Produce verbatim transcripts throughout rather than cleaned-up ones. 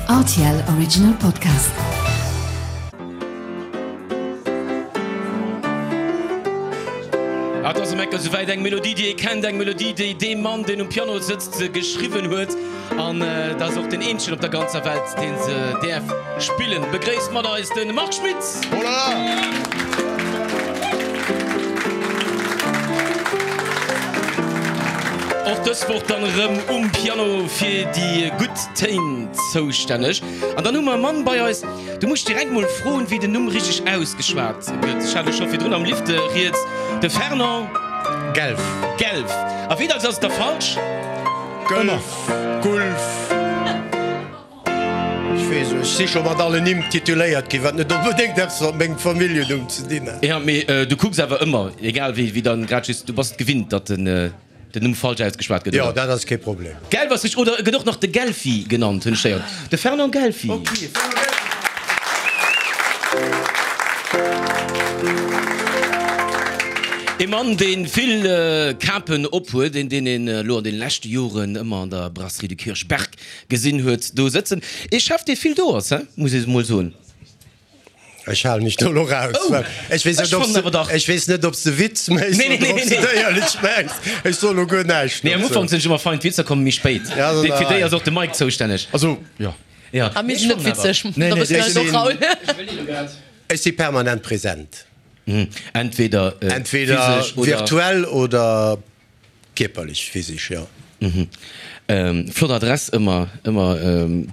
R T L Original Podcast. Ah, et ass um Enker souwäit, eng Melodie, déi ee kennt, eng Melodie, déi dee Mann, deen um Piano sëtzt, geschriwwen huet. An et ass och den eenzegen op der ganzer Welt, dee se däerf spillen. Begréisst mat eis de Marc Schmitz! Oh la la! Och dës Woch dann erëm um Piano fir déi gutt Téin zoustänneg. An dann hu mer e Mann bei eis, do muss ech direkt mol froen, wéi den Numm richteg ausgeschwat gëtt. Ech hat elo scho virdrun am Lift rieds, de Fernand. Gelf. Gelf. A wéi dacks ass et da falsch? Gëlf, Gulf. Ech weess, ech si scho mat allen Nimm tituléiert ginn, wat net onbedéngt eppes mat mengem Familljennumm ze dinn hat. Jo, mee du kucks awer ëmmer, egal wéi, wéi dann grad just, du bass et gewinnt, datt den. Den Numm falsch ausgeschwat gëtt, Jo, oder? dat ass kee Problem. Gelf ass richteg, oder e gëtt och nach de Gelfi genannt, hunn ech héieren. De Fernand Gelfi. Ok, Fernand Gelfi. E Mann, dee vill Kapen ophuet, een, deen een elo an de leschte Joren ëmmer an der Brasserie du Kirchberg gesinn huet do sëtzen. Ee Chef, dee vill do ass, he, muss ee mol soen. Ech halen mech do elo raus, well ech weess net, ob s de, ech weess net, ob s de Witz méchs oder ob s de et éierlech mengs. Ech soen elo guer näischt Nee, am dozou. Ufank sinn ech ëmmer fein, d'Witzer komme méi spéit. Ja, Fir déi nein. ass och de Mike zoustänneg. Also, jo. Ja. A mir sinn net witzeg, Nee, da nee, wësse ech mir eis och, sinn- Raoul. Ech si permanent present. Entweder Entweder physesch oder. virtuell oder Kierperlech, physisch, jo. Flott Adress, ëmmer ëmmer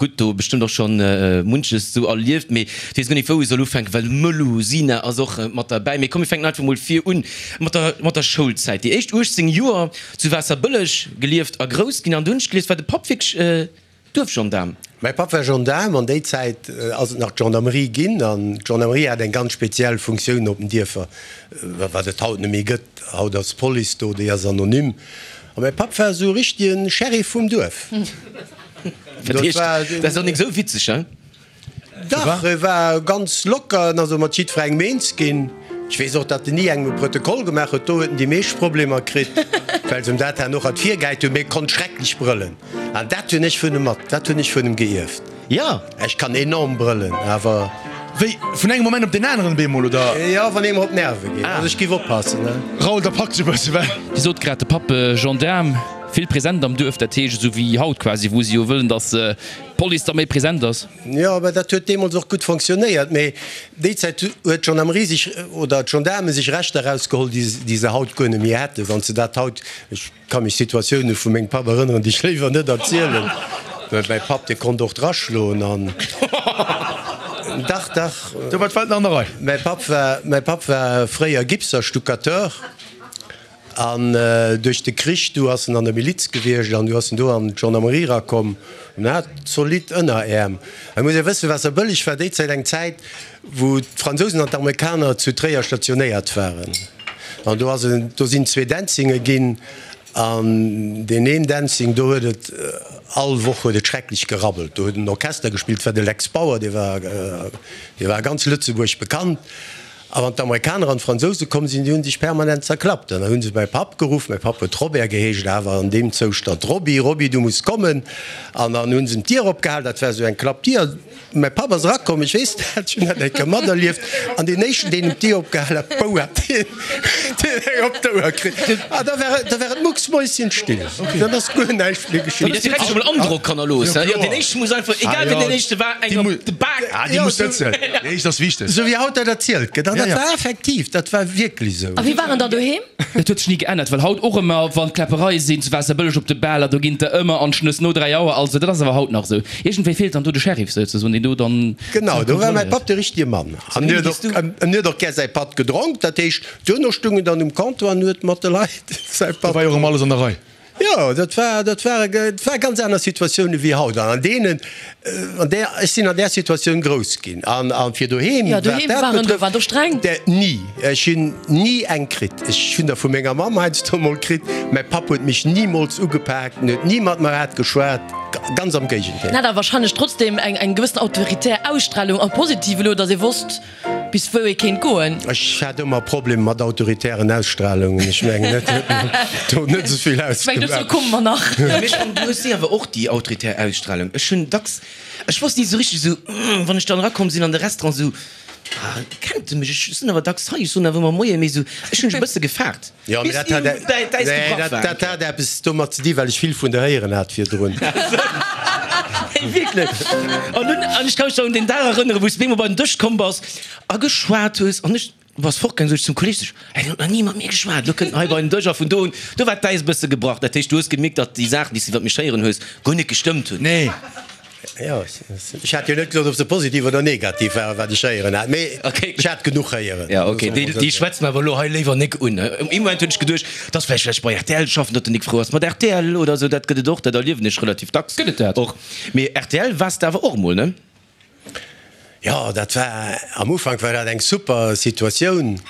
gutt. Do bestëmmt och schonn munches sou erlieft, mee ech weess guer net wou ech soll ufänken, well Melusina ass och mat derbäi. Mee komm mir fänken einfach mol vir un mat der mat der Schoulzäit. Déi éischt uechtzéng Joer zu Waasserbëlleg gelieft a grouss ginn an du hunn ech gelies, war de Papp wierklech Duerfgendaarm. Mäi Papp war Gendaarm. An déi Zäit ass et nach d'Gendarmerie ginn. An d'Gendarmerie hat eng ganz speziell Funktioun op den Dierfer, wat et haut net méi gëtt. Haut ass d'Police do, déi ass anonym. A mäi Papp war esou e richtege Sheriff vum Duerf. Dat heescht, dat ass och nik esou witzeg, hein? Dach, e war ganz locker, en ass och mat jiddwerengem eens ginn. Ech weess och, datt en ni engem e Protokoll gemaach huet. Do huet en déi meescht Problemer kritt, well se em dat herno och hat virgehäit hunn. Mee e konnt schrecklech brëllen. An dat hunn ech vun em mat, dat hunn ech vun em geierft. Jo. Ech kann enorm brëllen, awer. Wéi, vun engem Moment op deen aneren bemol, oder? Jo, wann ee mer op d'Nerve geet. Also ech giff oppassen, ne? Raoul, da pak dech e bësse, well. Dir sot grad, de Papp Gendaarm, vill present am Duerf, dat heescht esou wéi haut quasi, wou se jo wëllen, datt d'Police da méi present ass. Jo, mä dat huet deemools och gutt fonctionnéiert. Mee déi Zäit huet d'Gendarmerie sech, oder d'Gendaarme sech Rechter erausgeholl, déi se haut guer net méi hätten, wann se dat haut, ech ka mech Situatioune vu mengem Papp erënneren, déi ech léiwer net erzielen, mä mäi Papp, dee konnt och draschloen an, dach, dach. Do war d'Welt nach an der Rei. Mäi Papp war, mäi Papp war fréier Gipser, Stuccateur. An duerch de Krich, du ass en an der Miliz gewiescht an du ass en do an d'Gendarmerie erakomm an hat zolidd Ënneräerm. Et muss ee wëssen, Waasserbëlleg war déi Zäit eng Zäit, wou d'Fransousen an d'Amerikaner zu Tréier stationéiert waren. An do ass en, do sinn zwee Dancinge ginn an deen een Dancing, do huet et all Woch huet et schrecklech gerabbelt. Do huet en Orchester gespillt, war de Lex Bauer, dee war, dee war a ganz Lëtzebuerg bekannt. A wann d'Amerikaner an d'Fransouse komm sinn, déi hu sech permanent zerklappt. An da hu se mäi Papp geruff, mäi Papp huet Robert geheescht, awer an deem Zoustand, Robby, Robby, du muss kommen. An dann hu se em d'Dier opgehal, dat war esou eng Klappdier. Mäi Papp ass erakomm, ech weess dat, ech hunn dat eng Kéier materlieft, an deen éischten, deen em d'Dier opgehal hat, bou, hat deen eng op d'Ouer kritt. A da war et, da war et mucksmäuschenstill. Dann ass guer näischt méi geschitt. Mee dass direkt scho mol Androck hannerlooss, he? Jo, deen éischte muss einfach, egal wien deen éischte war, eng op de Bak. Ah, déi muss sëtzen. Déi éischt ass wichteg. Esou wéi haut dat erzielt gëtt. An dat war effektiv, dat war wierklech esou. A wéi war en da doheem? Dat huet sech ni geännert, well haut och ëmmer, wann Kläppereie sinn zu Waasserbëlleg op de Baler, do ginn der ëmmer an d'Schnëss no dräi Auer. Also dat ass awer haut nach esou. Iergendwéi feelt dann do de Sheriff souzesoen, deen do dann. Genau, do war mäi Papp de richtige Mann. An en huet och, en huet och gär säi Patt gedronk. Dat heescht, duerno stung en dann um Comptoir an huet mat de Leit säi Patt. Do war jo och ëmmer alles an der Rei. Jo, dat war, dat war, et war ganz aner Situatioune wéi haut. An an deenen, an där, ech sinn an där Situatioun grouss ginn. An, a fir doheem, Jo, wat doheem dat waren, do betrëfft, war do streng. där ni, ech hunn ni eng kritt. Ech hunn der vu menger Mamm heiansdo emol kritt. Mäi Papp huet mech nimools ugepaakt, en huet ni mat mer haart geschwat, ganz am Géigendeel. En hat awer wahrscheinlech trotzdem eng, eng gewëssen autoritär Ausstrahlung, am Positive elo, datt ee wosst, bis wou ee kéint goen. Ech hat ëmmer Problemer mat autoritären Ausstrahlungen. Ech mengen, dat huet do net esou vill Ech mengen, dozou ausgemaach. komme mer nach. Mee ech fannen, du hues déi awer och, déi autoritär Ausstrahlung. Ech hunn dacks, ech wosst ni esou richteg, esou, wann ech dann erakomm sinn an de Restaurant, esou, ah, kennt e mech? Ech sinn awer dacks hei, ech soen awer ëmmer Moien, mee esou, ech hunn mech e bësse gefaart, Jo, mee bis dat hat, d'Äis nee, gebrach dat, war. dat hat eppes domat ze di, well ech vill vun der héieren hat virdrun. Hey, wierklech. An dunn, an ech ka mech nach un deen Dag erënneren, wou s du bemol bei den Dësch komm bass a geschwat hues an ech, du bass fortgaangen, sot ech zum Kolleeg, sot ech, hey, deen huet nach ni mat mir geschwat, elo kënnt en hei bei den Dësch a vun do un, do war d'Äis e bësse gebrach. Dat heescht, du hues gemierkt, datt déi Saachen, déi s du iwwer mech héieren hues, guer net gestëmmt hunn. Nee. Jo, ech hat jo net gesot, ob se positiv oder negativ waren, wat ech héieren hat, mee Okay. ech hat genuch héieren. Ja, okay, déi, déi schwätze mer awer elo hei léiwer nik un. Ee Moment hunn ech geduecht, dass vläicht vläicht bei rtl schaffen, datt den Nik frou ass mat rtl oder esou, dat gëtt et och, dat erliewen ech relativ dacks. Gëtt et dat? Och. Mee rtl waars de awer och emol, ne? Jo, dat war, am Ufank war dat eng super Situatioun.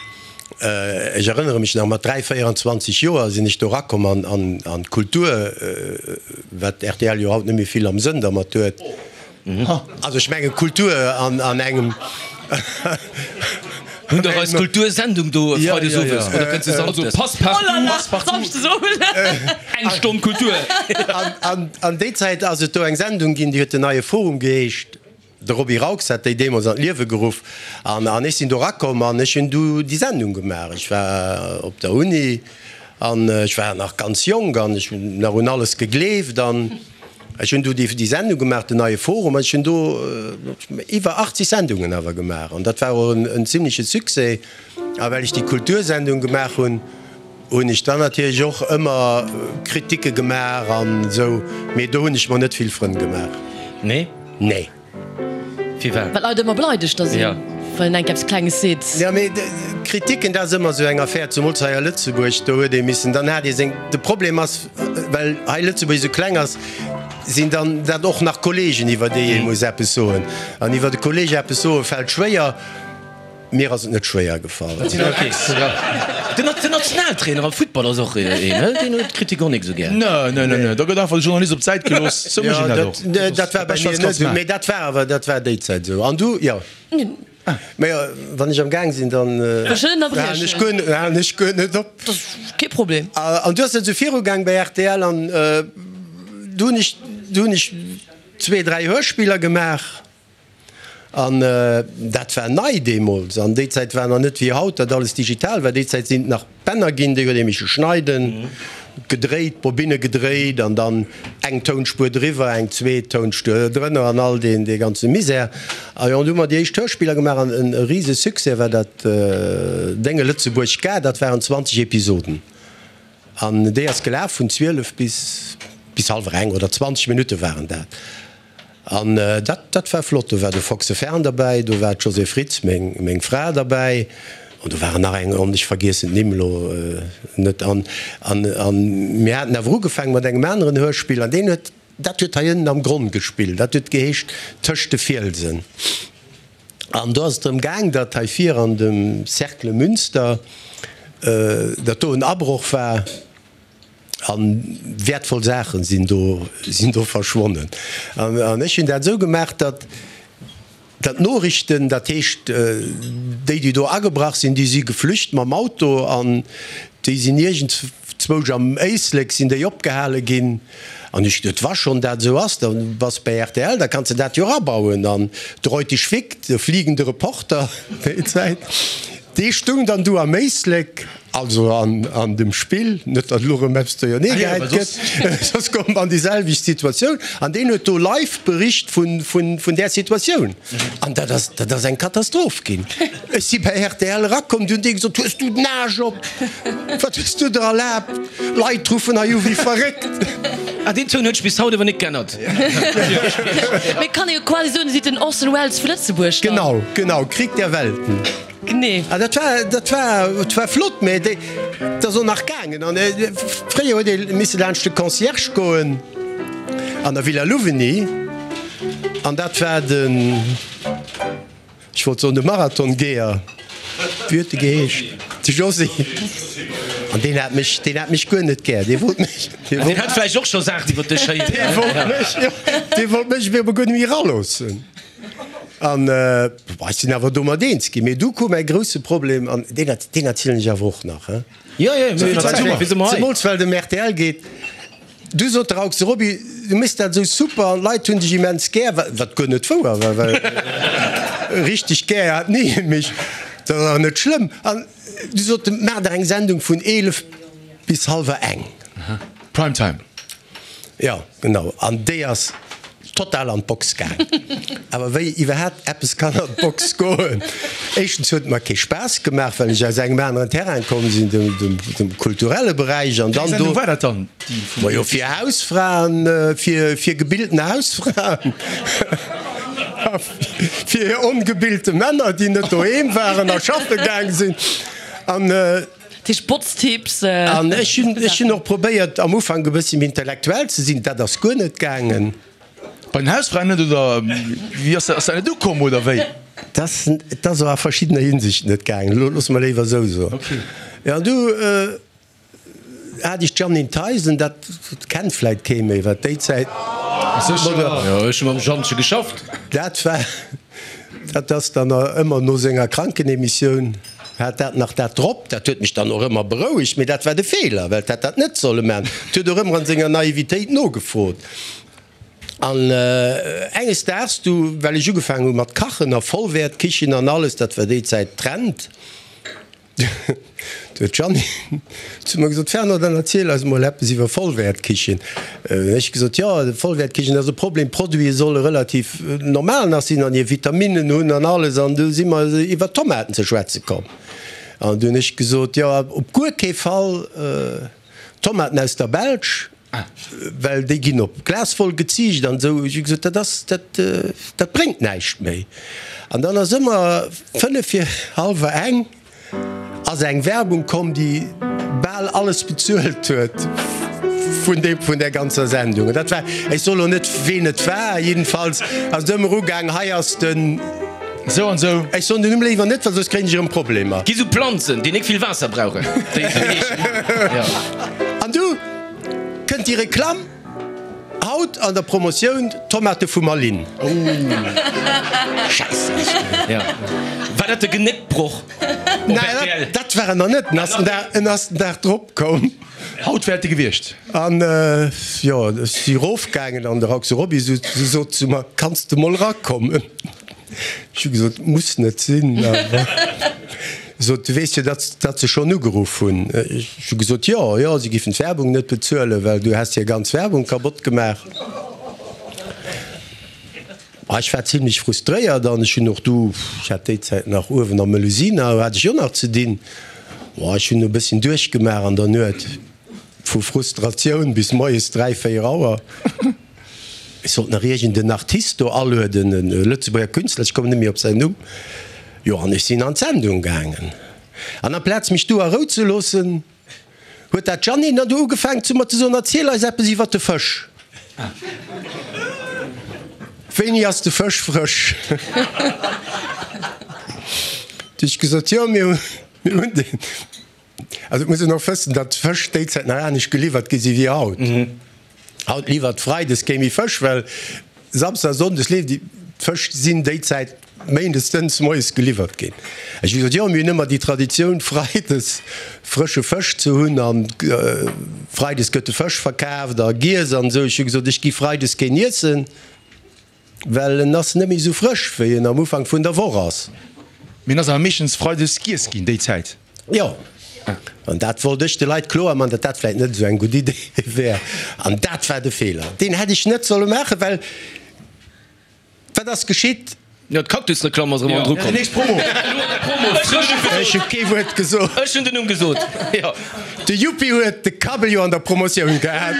Ech erënnere mech nach, mat dräi, véieranzwanzeg Joer sinn ech do erakomm an, an, an d'Kultur, wat rtl jo haut net méi vill am Sënn dermat huet. Also ech menge Kultur an, an engem. Hunn dach eis Kultursendung do freides owes, oder kënnt se Also samschdes? Passepartout, Samschdes owes. eng Stonn Kultur. An, an, an déi Zäit ass et do eng Sendung ginn, déi huet Den Neie Forum geheescht. De Roby Raux hat déi deemools an d'Liewe geruff an an ech sinn do erakomm an ech hunn du déi Sendung gemaach. Ech war op der Uni an ech war nach ganz jonk an ech hunn nach un alles gegleeft an ech hunn du déi déi Sendung gemaach, den Neie Forum, an ech hunn do iwwer achtzeg Sendungen awer gemaach an dat war och en en zimleche Succès. A well ech déi Kultursendung gemaach hunn, hunn ech dann natierlech och ëmmer Kritike gemaach an esou, mee do hunn ech mer net vill Frënn gemaach. Nee? Nee. Firwat? Well d'Leit ëmmer beleidegt da sinn, wann een enk eppes Klenges seet. Jo, mee Kritiken, dat ass ëmmer esou eng Affär, zumools hei a Lëtzebuerg, do huet ee missen, dann hat ee seng, de Problem ass, well hei Lëtzebuerg esou kleng ass, sinn dann dat och nach Kollegen, iwwer déi ee muss eppes soen. An iwwer e Kolleg eppes soe fält schwéier. Mir ass et net schwéier gefall. Den Nationaltrainer am Futtball ass och een, ne? Deen huet d'Kritik och nik esou gär. Ne, ne, ne, ne, da gëtt einfach de Journalist op d'Säit gelooss. Sou mécht een dat och. Jo, dat war bei mir net esou, mee dat war awer, dat war déi Zäit esou. An du, jo. Mee wann ech am Gaang sinn, dann halen ech guer, halen ech guer net op. Dat ass kee Problem. An du ass et esou virugaang bei rtl an du hunn ech, du hunn ech zwee, dräi Hörspiller gemaach. An dat war nei deemools. An déi Zäit war nach net wéi haut, datt alles digital war. Déi Zäit sinn et nach Bänner ginn, déi huet ee misse schneiden, gedréit, Bobinne gedréit an dann eng Tounspuer driwwer, eng zweet Tounspuer drënner an all deen, dee ganze Misär. A jo, an du hu mer déi éischt Hörspiller gemaach an e rise Succès war dat Dénge Lëtzebuerg Ga, dat waren zwanzeg Episoden. An déi ass gelaf vun zwielef bis, bis hallwer eng oder zwanzeg Minutte waren dat. An dat, dat war flott. Do war de Foxe Fern derbäi, do war d'Josée Fritz, meng, meng Fra, derbäi, an do waren nach eng, an ech vergiessen d'Nimm elo net. An, an, an mir haten awer ugefaangen mat engem aneren Hörspill, an deen huet, dat huet hei ënnen am Gronn gespillt, dat huet geheescht Tëscht de Fielsen. An do ass et drëm gaang, datt hei vir an dem Cercle Münster, datt do en Abroch war. An wäertvoll Saachen sinn do, sinn do verschwonnen. An, an ech hunn dat esou gemaach, datt, datt d'Noriichten, dat heescht déi, déi do agebrach sinn, déi si geflücht mam Auto an déi sinn iergendzwousch am Éislek sinn déi opgehale ginn. An ech geduet, wa schonn dat esou ass, da bass bäi rtl, da kanns de dat jo erabauen. An de Reutig Vic, de fliegende Reporter déi Zäit, Dee stung dann du am Éislek, also an an dem Spill, net datt elo erëm eppes duerjernee gehäit gëtt, soss komme mer an déi selwecht Situatioun, an deen huet do live bericht vun vun vun där Situatioun. An dat ass dat ass eng Katastroph ginn. Ech si bei rtl erakomm, du hunn déi gesot, Hues du den Aarsch op? Wat hues du der erlaabt? Leit ruffen hei u wéi verréckt. Ah, deen Toun huet sech bis haut awer net g'ännert. Mee kann ee jo quasi soen, Dir sidd den Orson Welles vu Lëtzebuerg dann. Genau, genau, Krieg der Welten. Genee. Ah, dat war, dat war, dat war flott, mä déi, dat ass och nach gaangen. An fréier huet ee misse laanscht de Concierge goen an der Villa Louvigny, an dat war den, ech wollt soen de Marathongeher, wéi huet de geheescht? De Josy. An deen hat mech, deen hat mech guer net gär. Dee wollt mech, dee Deen wollt, hat vläicht och scho Saachen iwwer dech héieren. dee wollt mech, jo, dee wollt mech awer guer net méi eraloossen. An ech sinn awer domat eens ginn. Mee du koum mäi grousse Problem, an deen, deen erzielen ech awer och nach, he? Jo, jo, mir hunn Zäit, wéi se mer hei. Zemools well et ëm rtl geet. Du sot de Raux, Roby, du méchs dat esou super an d'Leit hunn dech immens gär, wat guer net wouer war, well richteg gär hat ni ee mech, dat ass awer net schlëmm. An du sot en, maach der eng Sendung vun eelef bis hallwer eng. Prime Time. Jo, genau. An déi ass total an d'Box gaang. Awer wéi iwwerhaapt eppes kann an d'Box goen? Éischtens huet et mer kee Spaass gemaach, well ech aus engem aneren Terrain komm sinn, dem, dem kulturelle Beräich. An dann do. Wéi eng Sendung war dat dann, déi vum. Majo, fir Hausfraen, fir, fir gebildene Hausfraen a fir ongebilte Männer, déi net doheem waren a schaffe gaang sinn. An. Dat heescht Botztipps. An ech hunn, ech hunn och probéiert am Ufank e bëssi méi intellektuell ze sinn. Dat ass guer net gaangen. Bei den Hausfraen net oder wéi ass dat? Ass dat net ukomm oder wéi? Dat ass, dat ass a verschiddener Hinsicht net gaangen, loosse mer léiwer esou soen. Okay. Jo, an du hat ech d'Jeanine Theisen, dat kennt vläit kee méi, wat déi Zäit. Sécher. Jo, ech hu mam Jeannche geschafft. Dat war, dat ass dann ëmmer no senger Krankenemissioun. Hat dat nach dat drop, dat huet mech dann och ëmmer berouegt, mee dat war de Feeler, well 't hätt dat net solle man. 't huet och ëmmer an senger Naivitéit nogefrot. An enges Daags du, well ech ugefaangen hu mat kachen a Vollwäertkichen an alles, dat war déi Zäit Trend, Du huet d'Jeanny zu mer gesot, Fernand, dann erziel eis emol eppes iwwer Vollwäertkichen. Hunn ech gesot, Jo, Vollwäertkichen ass e Problem, d'Produite solle relativ normal nach sinn an hir Vitaminnen hunn an alles. An du si mer iwwer Tomaten ze schwätze komm. An du hunn ech gesot, Jo, op guer kee Fall Tomaten aus der Belsch, well déi ginn op Glaswoll geziicht an esou. Ech hu gesot, dat ass, dat, dat bréngt näischt méi. An dann ass ëmmer fënnef vir hallwer eng ass eng Werbung komm, déi bal alles bezuelt huet vun deem, vun där ganzer Sendung. An dat war, ech soe lo net, ween et war, jiddefalls ass et ëmmer ugaang, hei ass den. Esou an esou. Ech soen den Numm léiwer net, well soss kréien ech erëm Problemer. Gi sou Planzen, déi nik vill Waasser brauchen, déi esou heeschen, jo. An du kënnt déi Reklamm, Haut an der Promotioun, Tomate vu Malines. Scheisse. Jo. War dat de Genéckbroch op Nein, rtl? dat war en nach net. En ass den Dag, en ass den Dag drop komm. Haut wär et de gewiescht. An jo, ech si rofgaangen an de Rauxel Roby sot zu mer, Kanns de mol erakommen? Ech hu gesot, Muss net sinn, awer sot, du weess jo, datt datt se schonn ugeruff hunn. Ech hu gesot, Jo, jo, si giffen d'Werbung net bezuelen, well du häss hir ganz Werbung kabott gemaach. Ech war zimlech frustréiert an ech hunn och du, ech hat déi Zäit nach uewen am Melusina, hat ech jo nach ze dinn. Ech hunn e bësschen duerchgemaach an der Nuet, vu Frustratioun bis moies dräi, véier Auer. Ech sollt nach iergend en Artist do alueden, e Lëtzebuerger Künstler, ech kommen net méi op säin Numm. Jo, an ech sinn an d'Sendung gaangen. An amplaz mech do a Rou ze loossen, huet dat Jeanine dann do ugefaangen zu mer ze soen, Erziel eis eppes iwwer de Fësch. Wéini ass de Fësch frësch? Du hu ech gesot, Jo, mir hunn deen. Also et muss een och wëssen, datt Fësch déi Zäit nach anescht geliwwert gi si wéi haut. Haut liwwert Freides kee méi Fësch, well Samsdes a Sonndes leeft déi. D'Fësch sinn déi Zäit Méindes dënns moies geliwwert ginn. Ech hu gesot, jo, mir hunn ëmmer déi Traditioun, Freides frësche Fësch ze hunn an Freides gëtt de Fësch verkaaft a giess an esou. Ech hu gesot, ech gi Freides keen iessen, well en ass net méi esou frësch, wéi en am Ufank vun der Woch ass. Mee en ass awer meeschtens Freides giess ginn déi Zäit. Jo, an dat wollt ech de Leit kloer man, datt dat vläit net esou eng gutt Idee wär. An dat war de Feeler, deen hätt ech net solle maachen, well wat ass geschitt? Jo, d'Cactus-Reklamm ass erëm an Dru komm. Déi nächst Promo. Ech hu kee Wuert gesot. Ech hunn den Numm gesot, jo. De Yuppi huet de Kabbel jo an der Promotioun gehat.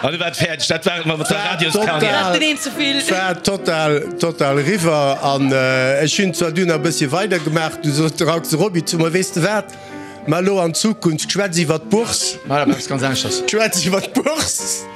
An du war et fäerdeg. Dat war et mat der Radioskarriär. Den een ze vill. Et war total, total eriwwer. An ech hunn zwar dunn nach e bëssche weidergemaach, du sot de Rauxel Roby zu mer, Weess de wat, mar elo an Zukunft, schwätz iwwer d'Bourse. Mar eppes ganz aneschters. Schwätz iwwer d'Bourse.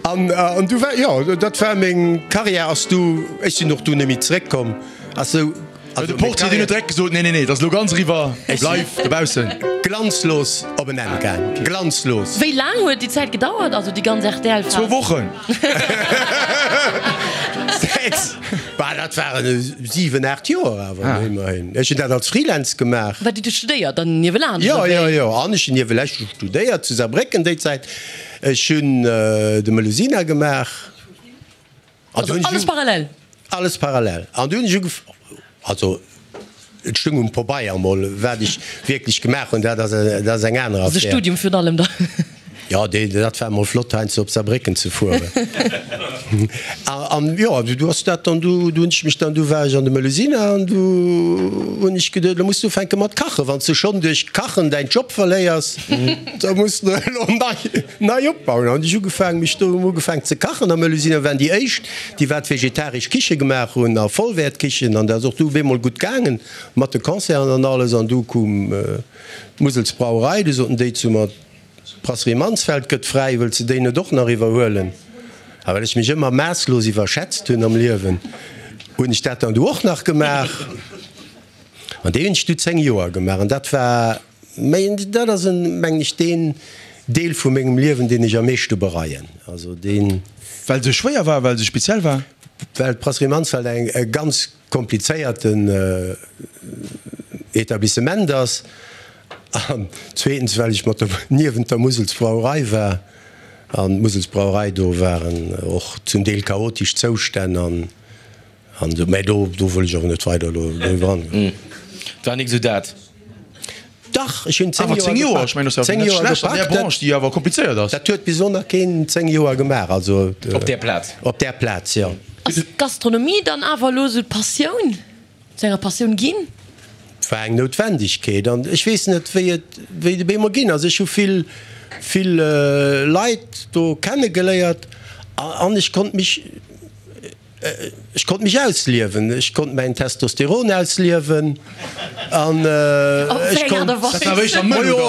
An, an du war, jo, dat war meng Karriär ass du, ech sinn och du net méi zeréckkomm, ass sou. Also de Portier deen huet direkt gesot, nee, nee, nee, dat ass elo ganz eriwwer, bleif dobaussen. Glanzlos op en Enn gaang, glanzlos. Wéi laang huet déi Zäit gedauert, also déi ganz R T L-Phas? Zwou Wochen. dat waren siwen, aacht Joer awer immerhin. Ech hunn dat als Freelance gemaach. Wat hutt Dir studéiert dann niewelaanscht, Jo, oder jo, wéi? jo. An ech hunn niewelaanscht studéiert zu Saarbrécken déi Zäit. Ech hunn de Melusina gemaach. An Also du hunn ech alles u- parallel? Alles parallel. An du hunn ech ugef-, also et stoung um Pabeier emol, wat ech wierklech gemaach hunn, dat ass, dat ass eng aner Also Affär. Studium virun allem dann. Jo, dee, dat war emol flott, heiansdo op Saarbrécken ze fueren. An jo, du ass dat dann, du, du hunn ech mech dann, du war ech an de Melusina an du hunn ech geduet, lo muss du ufänke mat kachen. Wann s du schonn duerch Kachen däin Job verléiers, da muss du elo nei, nei opbauen. An hunn ech ugefaangen, mech do ugefaangen ze kachen. A Melusina waren déi éischt, déi wat vegetaresch Kiche gemaach hunn a Vollwäertkichen. An dat ass och du op eemol gutt gaangen mat de Concerten an alles. An du koum d'Muselsbrauerei, du soten déi zu mer, D'Brasserie Mansfeld gëtt fräi, wëlls de déi net och nach iwwerhuelen? A well ech mech ëmmer maasslos iwwerschätzt hunn am Liewen, hunn ech dat dann du och nach gemaach. An déi hunn ech du zéng Joer gemaach. An dat war, mä dat ass en, mengen ech, deen Deel vu mengem Liewen, deen ech am meeschte bereien. Also deen. Well se schwéier war, well se speziell war? Well d'Brasserie Mansfeld eng e ganz komplizéierten Etablissement ass. An zweetens, well ech mat der, niewent der Muselsbrauerei war. An d'Muselsbrauerei, do waren och zum Deel chaotesch Zoustänn an, an esou. Mä do, do wëll ech awer net weider elo doriwwer angoen. Et war nik esou dat. Dach, ech hunn zéng Awer Joer zéng Joer, gepackt. ech mengen, dat ass Zéng awer net Joer schlecht an där gepackt. Branche, déi awer komplizéiert ass. Dat huet bis elo nach keen zéng Joer gemaach, also. Op där Plaz? Op där Plaz, jo. Ass d'Gastronomie dann awer elo esou d'Passioun, zu enger Passioun ginn? Et war eng Noutwendegkeet an ech weess net, wéi et, wéi et op eemol ginn ass. Ech hu vill, vill Leit do kennegeléiert an ech konnt mech, ech konnt mech ausliewen. Ech konnt mäin Testosteron ausliewen an ech konnt, jo,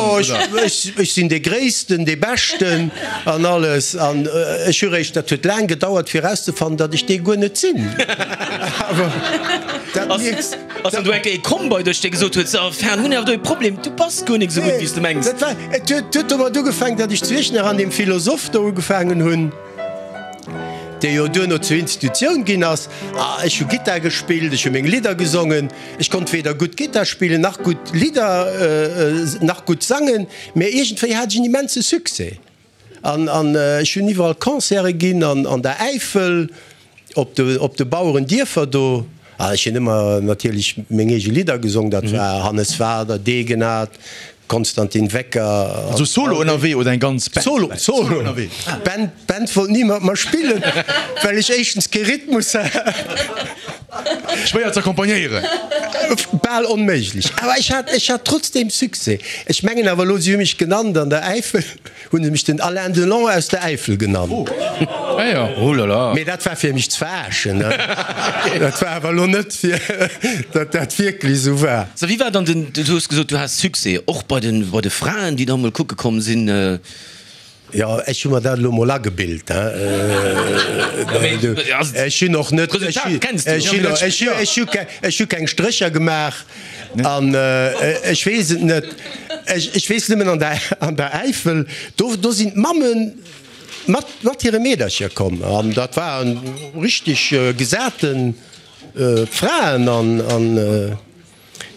ech, ech sinn dee Gréissten, dee Beschten an alles. An ech hu réischt, dat huet laang gedauert fir erauszefannen, datt ech dee guer net sinn. Awer dat mierks. Ass dann do eng Kéier ee komm bei dech, dee gesot huet, So, Fern, hunn awer do ee Problem, du bass guer nik esou gutt, wéi s de mengs? Dat war, et huet, huet domat ugefaangen, datt ech zu Iechternach an deem Philosoph do ugefaangen hunn, dee jo duerno zur Institutioun ginn ass. A ech hu Gittar gespillt, ech hu meng Lidder gesongen. Ech konnt weder gutt Gittar spillen, nach gutt Lidder, nach gutt sangen, mä iergendwéi hat ech en immense Succès. An, an ech hunn iwwerall Concerte ginn, an, an der Äifel, Op de, op de Bauerendierfer do, ah, ech hunn ëmmer natierlech meng eege Lidder gesong, dat war Hannes Wader, Degenhardt, Konstantin Wecker. Also solo ënnerwee oder eng ganz Band? Solo, solo. Solo ënnerwee. Band, Band wollt ni mat mer spillen, well ech éischtens kee Rhythmus hat. Schwéier z'accompagnéieren. Bal onméiglech. Awer ech hat, ech hat trotzdeem Succès. Ech mengen awer elo, si hu mech genannt an der Äifel, hu se mech den Alain Delon aus der Äifel genannt. Ah jo. Oh là là. Mee dat war fir mech ze verarschen, ne? Dat war awer elo net fir, datt dat wierklech esou war. So, wéi war dann den, du hues gesot, du has Succès, och bei den, bei de Fraen, déi da mol kucke komm sinn? Jo, ech hu mer dat elo mol agebilt, hein. Ech hunn och net, ech hu keng Strécher gemaach an ech weess et net. Ech weess nëmmen an der Äifel, do sinn d'Mamme mat hire Meedercher komm an dat waren richteg gesate Fraen an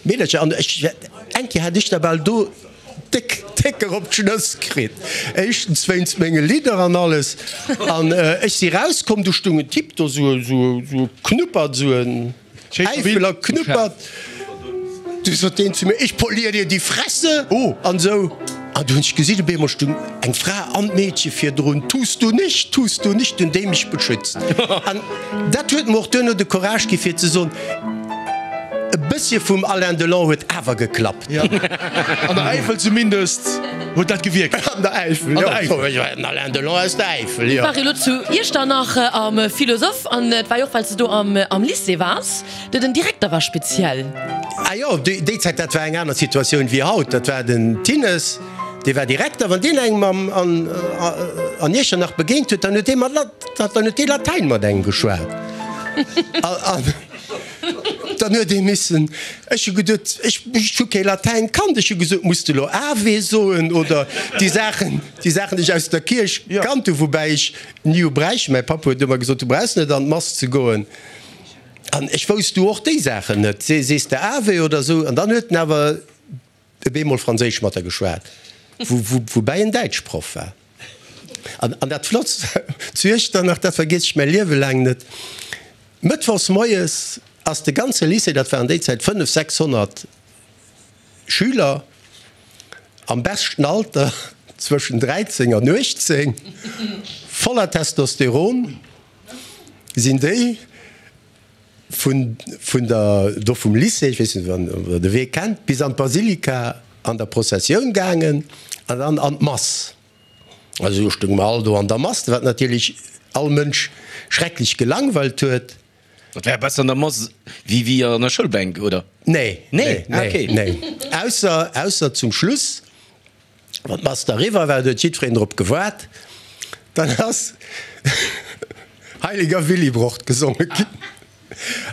Meedercher. An ech, eng Kéier hat ech da bal do déck, déck erop d'Schnëss kritt. Éischtens wéinst menge Lidder an alles. An ech si rauskomm, du stung en Typ do, sou, sou, sou e Knuppert, sou en Äifeler Knuppert. Du sot deen zu mir, Ich polier dir die Fresse! An sou. An du hunn ech gesinn, op eemol stung eng Fra an d'Meedche virdrun, Tust du nicht, tust du nicht, hunn déi mech beschützt. An dat huet mer och duerno de Courage gi fir ze soen, E bëssche vum Alain Delon huet awer geklappt. An der Äifel zumindest huet dat gewierkt. An der Äifel, jo. An der Äifel. Den Alain Delon aus der Äifel, jo. War elo zu Iechternach am Philosoph an et war jo och, well s de do am Lycée waars, de den Direkter war speziell. Ah jo, déi Zäit, dat war eng aner Situatioun wéi haut. Dat war den Thinnes, dee war Direkter. Wann deen engem an Iechternach begéint huet, dann huet dee mat, dann huet dee Latäin mat engem geschwat. An dann huet ee missen, ech hu geduet, ech hu kee Latäin kannt, ech hu gesot, muss de elo Ave soen oder déi Saachen, déi Saachen, déi ech aus der Kierch kannt hu, woubäi ech ni hu bräichten. Mäi Papp huet ëmmer gesot, du brauchs net an d'Mass ze goen. An ech wousst du och déi Saachen net. Sees de Ave oder esou? An dann huet en awer op eemol Franséisch mat der geschwat, woubäi en Däitschproff war. An, an dat Flottst zu Iechternach, dat vergiess ech mäi Liewe laang net, Mëttwochs moies ass de ganze Lycée, dat waren déi Zäit fënnef, sechshonnert Schüler am beschten Alter, zwëschen dräizéng an uechtzéng, voller Testosteron, sinn déi vun, vun der, do vum Lycée, ech weess net, ob Der de Wee kennt, bis an d'Basilika an der Prozessioun gaangen an dann an d'Mass. Also do stounge mer all do an der Mass, wat natierlech all Mënsch schrecklech gelangweilt huet. Dat war besser an der Mass wéi wéi an der Schoulbänk, oder? Nee, Nee, nee, okay. nee. Ausser, ausser zum Schluss, wann d'Mass da eriwwer war, do huet jiddwereen drop gewaart, dann ass Heiliger Willibrord gesonge ginn.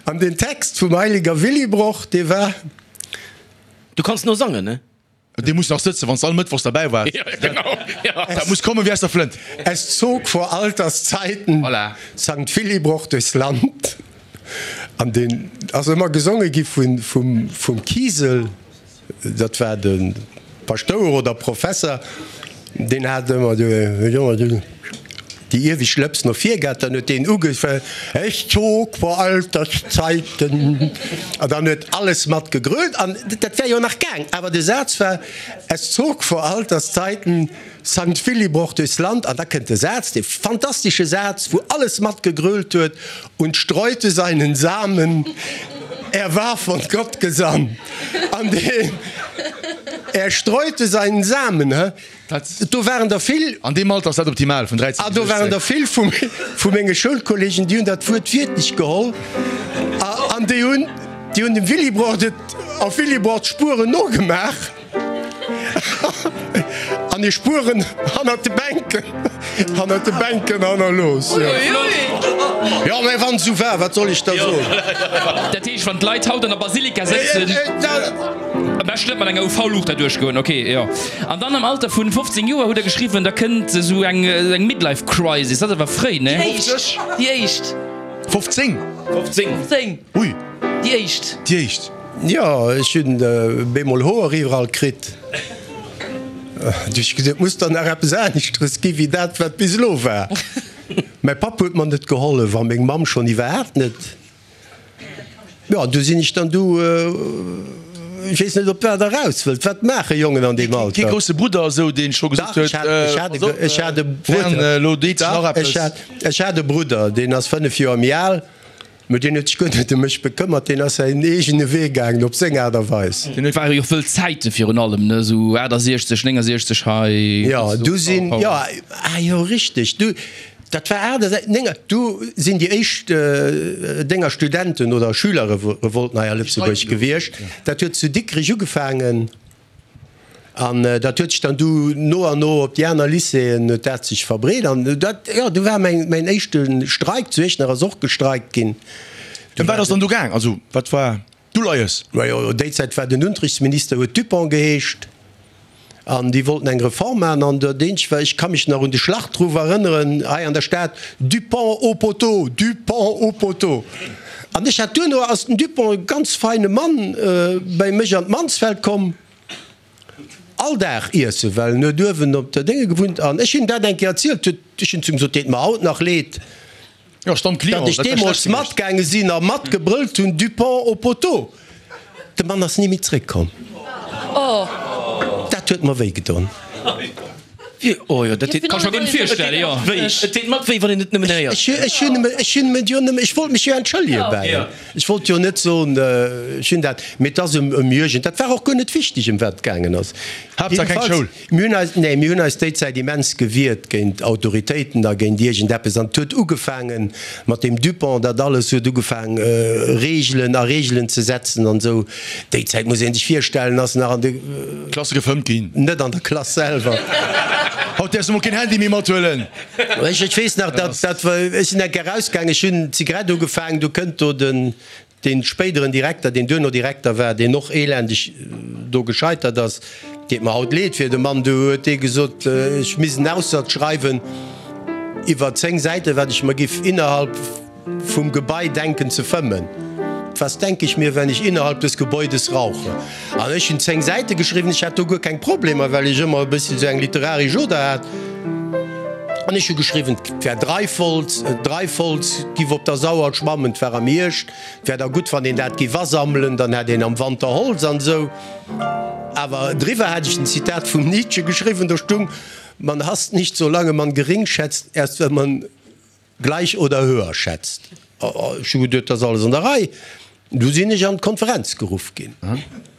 An den Text vum Heiliger Willibrord, dee war. Du kanns no sangen, ne? Dee muss nach sëtzen, wann s de all Mëttwochs derbäi waars. Ja, genau, ja. Dat muss kommen wéi aus der Flënt. Es zog vor Alterszeiten Voilà. Sankt Willibrord durchs Land. An deen ass ëmmer gesonge gi vun, vum, vum Kiesel, dat war de Paschtouer oder Professer, deen hat ëmmer de, déi iewescht Lëps no vir gehat, dann huet deen ugefaangen, Es zog vor Alterszeiten, an dann huet alles mat gegrölt, an dat wär jo nach gaang, awer de Saz war, Es zog vor Alterszeiten Sankt Willibrord durchs Land, an da kënnt de Saz, dee fantastesche Saz, wou alles mat gegrölt huet, und streute seinen Samen, er war von Gott gesandt, an deen, er streute seinen Samen, he. Do waren der vill. An deem Alter ass dat optimal, vun dräizéng Ah, bis do waren der uechtzéng. vill vu menge Schoulkolleegen, déi hunn dat Wuert wiertlech geholl an déi hunn, déi hunn dem Willibrord et auf Willibrords Spueren nogemaach an hir Spueren hannert de Bänken, hannert de Bänken hannerlooss. Jo, mä wann et esou war, wat soll ech da soen? Dat heescht, wann d'Leit haut an der Basilika sëtzen. Am beschten net mat enger U V-Luucht derduerch goen, ok, jo. An dann am Alter vun fofzéng Joer hutt der geschriwwen, da kënnt esou eng eng Midlife Crisis, dat ass awer fréi, ne? Déi éischt, déi éischt. Fofzéng? Fofzéng. Fofzéng. Ui. Déi éischt. Déi éischt. Jo, ech hunn bemol Hoer iwwerall kritt. Du ech gesot, et muss der nach eppes aneschteres gi wéi dat wat bis elo war. Mäi Papp huet mer net gehollef a meng Mamm schonn iwwerhaapt net. Jo, an du sinn ech dann du, ech weess net, op wat Der eraus wëllt. Wat maache Jongen an deem Alter? Kee grousse Brudder esou, deen scho gesot Dach, ech huet, hat, ech hat e, pass op, ech hat e Fern, Brudder. elo deet sech nach Dach, eppes. ech hat, ech hat e Brudder, deen ass fënnef Joer méi al, mä deen huet sech guer net ëm mech bekëmmert, deen ass säin eegene Wee gaangen, op seng Aart a Weis. Et ware jo och wëll Zäite virun allem, ne, esou aachtasechzeg, néngasechzeg hei. Jo, du sinn, jo, ah jo, richteg, du, dat war aachtasechzeg, nénga, du sinn déi éischt Dénger Studenten oder Schülerrevolten hei a Lëtzebuerg gewiescht. Dat huet zu Dikrech ugefaangen. An dat huet sech dann du no an no op déi aner Lycéeën huet dat sech verbreet. An dat, jo, du war mäin, mäin éischte Streik, zu Iechternach ass och gestreikt ginn. Ëm wat ass dann do gaang? Also wat war d'Uleies? Majo, déi Zäit war den Unterrichtsminister, huet Dupong geheescht, an déi wollten eng Reform maachen. An dat eenzegt war, ech ka mech nach un de Schlachtruff erënneren hei an der Stad, Dupong au poteau, Dupong au poteau! An ech hat duerno, ass den Dupong, e ganz feine Mann, bäi mech an d'Mansfeld komm. All Dag iessen, well en huet uewen op der Dénge gewunnt an ech hunn dat eng Kéier erzielt, huet, ech hunn zu him gesot, deet mer haut nach leed, Jo, Stammclient, datt ech dat wär deemools schlecht gewiescht. matgaange sinn a matgebrëllt hunn, Dupont au poteau. De Mann ass ni méi zréckkomm. Dat huet mer wéi gedon. Oh jo, dat deet Kann ech mer guer net virstellen, jo. wéi. Et deet mat wéi, wann een et nëmmen héiert. Ech, ech hunn ech hunn et jo nëmme, ech wollt mech jo entschëllege bäi him. Ech wollt jo net soen, ech hunn dat, mee et ass ëm ëm Jürgen, dat war och guer net wichteg, ëm wat et gaangen ass. Haaptsaach keng Schoul. Mir hunn eis, nee, mir hunn eis déi Zäit immens gewiert géint Autoritéiten a géint iergendeppes. An et huet ugefaange mat deem Dupont, dat alles huet ugefaang Reegelen a Reegelen ze setzen an esou. Déi Zäit, muss ee sech virstellen, ass nach an de. Klasse gefëmmt ginn. Net an der Klass selwer. Haut däerfs de mol keen Handy méi mathuelen. Ech, ech weess nach, dat, dat war, ech sinn eng Kéier erausgaangen, ech hunn d'Zigarett ugefaangen, du kënnt do den, dee spéideren Direkter, deen duerno Direkter war, deen och elendeg do gescheitert ass, deet mer haut leed fir de Mann, du huet dee gesot, ech misst en Aussatz schreiwen iwwer zéng Säiten, wat ech mer giff innerhalb vum Gebai denken ze fëmmen. Was denke ich mir, wenn ich innerhalb des Gebäudes rauche? An ech hunn zéng Säite geschriwwen, ech hat do guer keng Problemer, well ech ëmmer e bëssi sou eng literaresch Oder hat. An ech hu geschriwwen, 't wär Dreifholz, Dreifholz giff op der Sauer schwammen, 't war am Hierscht, 't wär da gutt, wann een dat giff asammelen, dann hätt een am Wanter Holz an esou. Awer driwwer hat ech en Zitat vum Nietzsche geschriwwen, do stung, Man hasst nicht, solange man gering schätzt, erst wenn man gleich oder höher schätzt. Ech hu geduet, dat ass alles an der Rei. Du sinn ech an d'Konferenz geruff ginn.